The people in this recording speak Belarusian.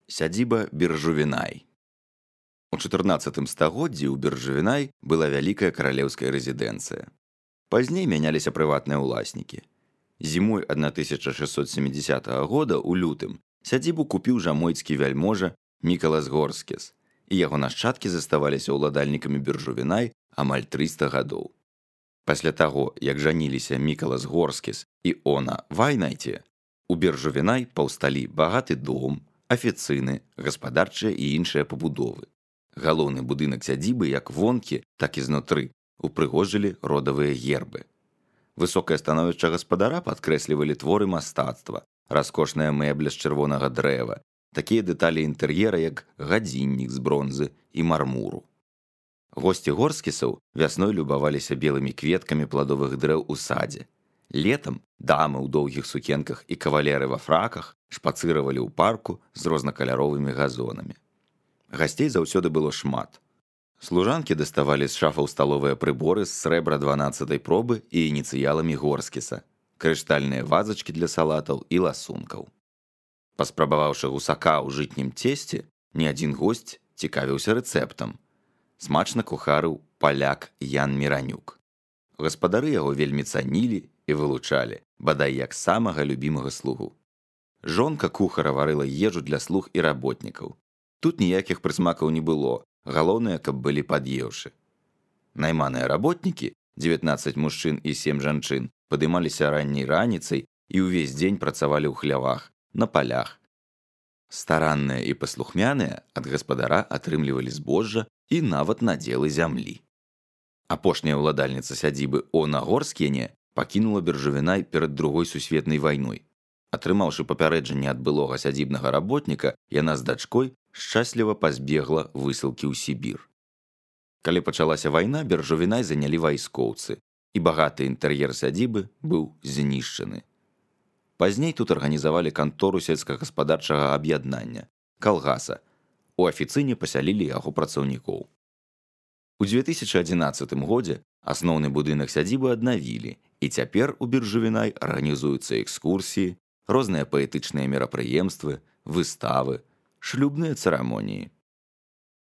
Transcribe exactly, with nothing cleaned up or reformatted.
Сядзіба Биржувінай. У чатырнаццатым стагоддзі ў Биржувінай была вялікая каралеўская рэзідэнцыя. Пазней мяняліся прыватныя ўласнікі. Зімой тысяча шэсцьсот сямідзясятага года ў лютым сядзібу купіў жамойцкі вяльможа Мікалас Горскіс, і яго нашчадкі заставаліся ўладальнікамі Биржувінай амаль трыста гадоў. Пасля таго, як жаніліся Мікалас Горскіс і Она Вайнайце, у Биржувінай паўсталі багаты дом, афіцыны, гаспадарчыя і іншыя пабудовы. Галоўны будынак сядзібы як вонкі, так і знутры упрыгожылі родавыя гербы. Высокае становішча гаспадара падкрэслівалі творы мастацтва, раскошная мэбля з чырвонага дрэва, такія дэталі інтэр'ера, як гадзіннік з бронзы і мармуру. Госці Горскісаў вясной любаваліся белымі кветкамі пладовых дрэў у садзе. Летам дамы ў доўгіх сукенках і кавалеры ва фраках шпацыравалі ў парку з рознакаляровымі газонамі. Гасцей заўсёды было шмат. Служанкі даставалі з шафаў сталовыя прыборы з срэбра дванаццатай пробы і ініцыяламі Горскіса, крыштальныя вазачкі для салатаў і ласункаў. Паспрабаваўшы гусака ў жытнім цесце, ні адзін госць цікавіўся рэцэптам. Смачна кухарыў паляк Ян Міранюк. Гаспадары яго вельмі цанілі і вылучалі, бадай як самага любімага слугу. Жонка кухара варыла ежу для слуг і работнікаў. Тут ніякіх прысмакаў не было, галоўнае, каб былі пад'еўшы. Найманыя работнікі, дзевятнаццаць мужчын і сем жанчын, падымаліся ранняй раніцай і ўвесь дзень працавалі ў хлявах, на палях. Старанныя і паслухмяныя ад гаспадара атрымлівалі збожжа і нават надзелы зямлі. Апошняя ўладальніца сядзібы Она Горскіне пакінула Биржувінай перад другой сусветнай вайной. Атрымаўшы папярэджанне ад былога сядзібнага работніка, яна з дачкой шчасліва пазбегла высылкі ў Сібір. Калі пачалася вайна, Биржувінай занялі вайскоўцы, і багаты інтэр'ер сядзібы быў знішчаны. Пазней тут арганізавалі кантору сельскагаспадарчага аб'яднання, калгаса. У афіцыне пасялілі яго працаўнікоў. У дзве тысячы адзінаццатым годзе асноўны будынак сядзібы аднавілі, і цяпер у Биржувінай арганізуюцца экскурсіі, розныя паэтычныя мерапрыемствы, выставы, шлюбныя цырамоніі.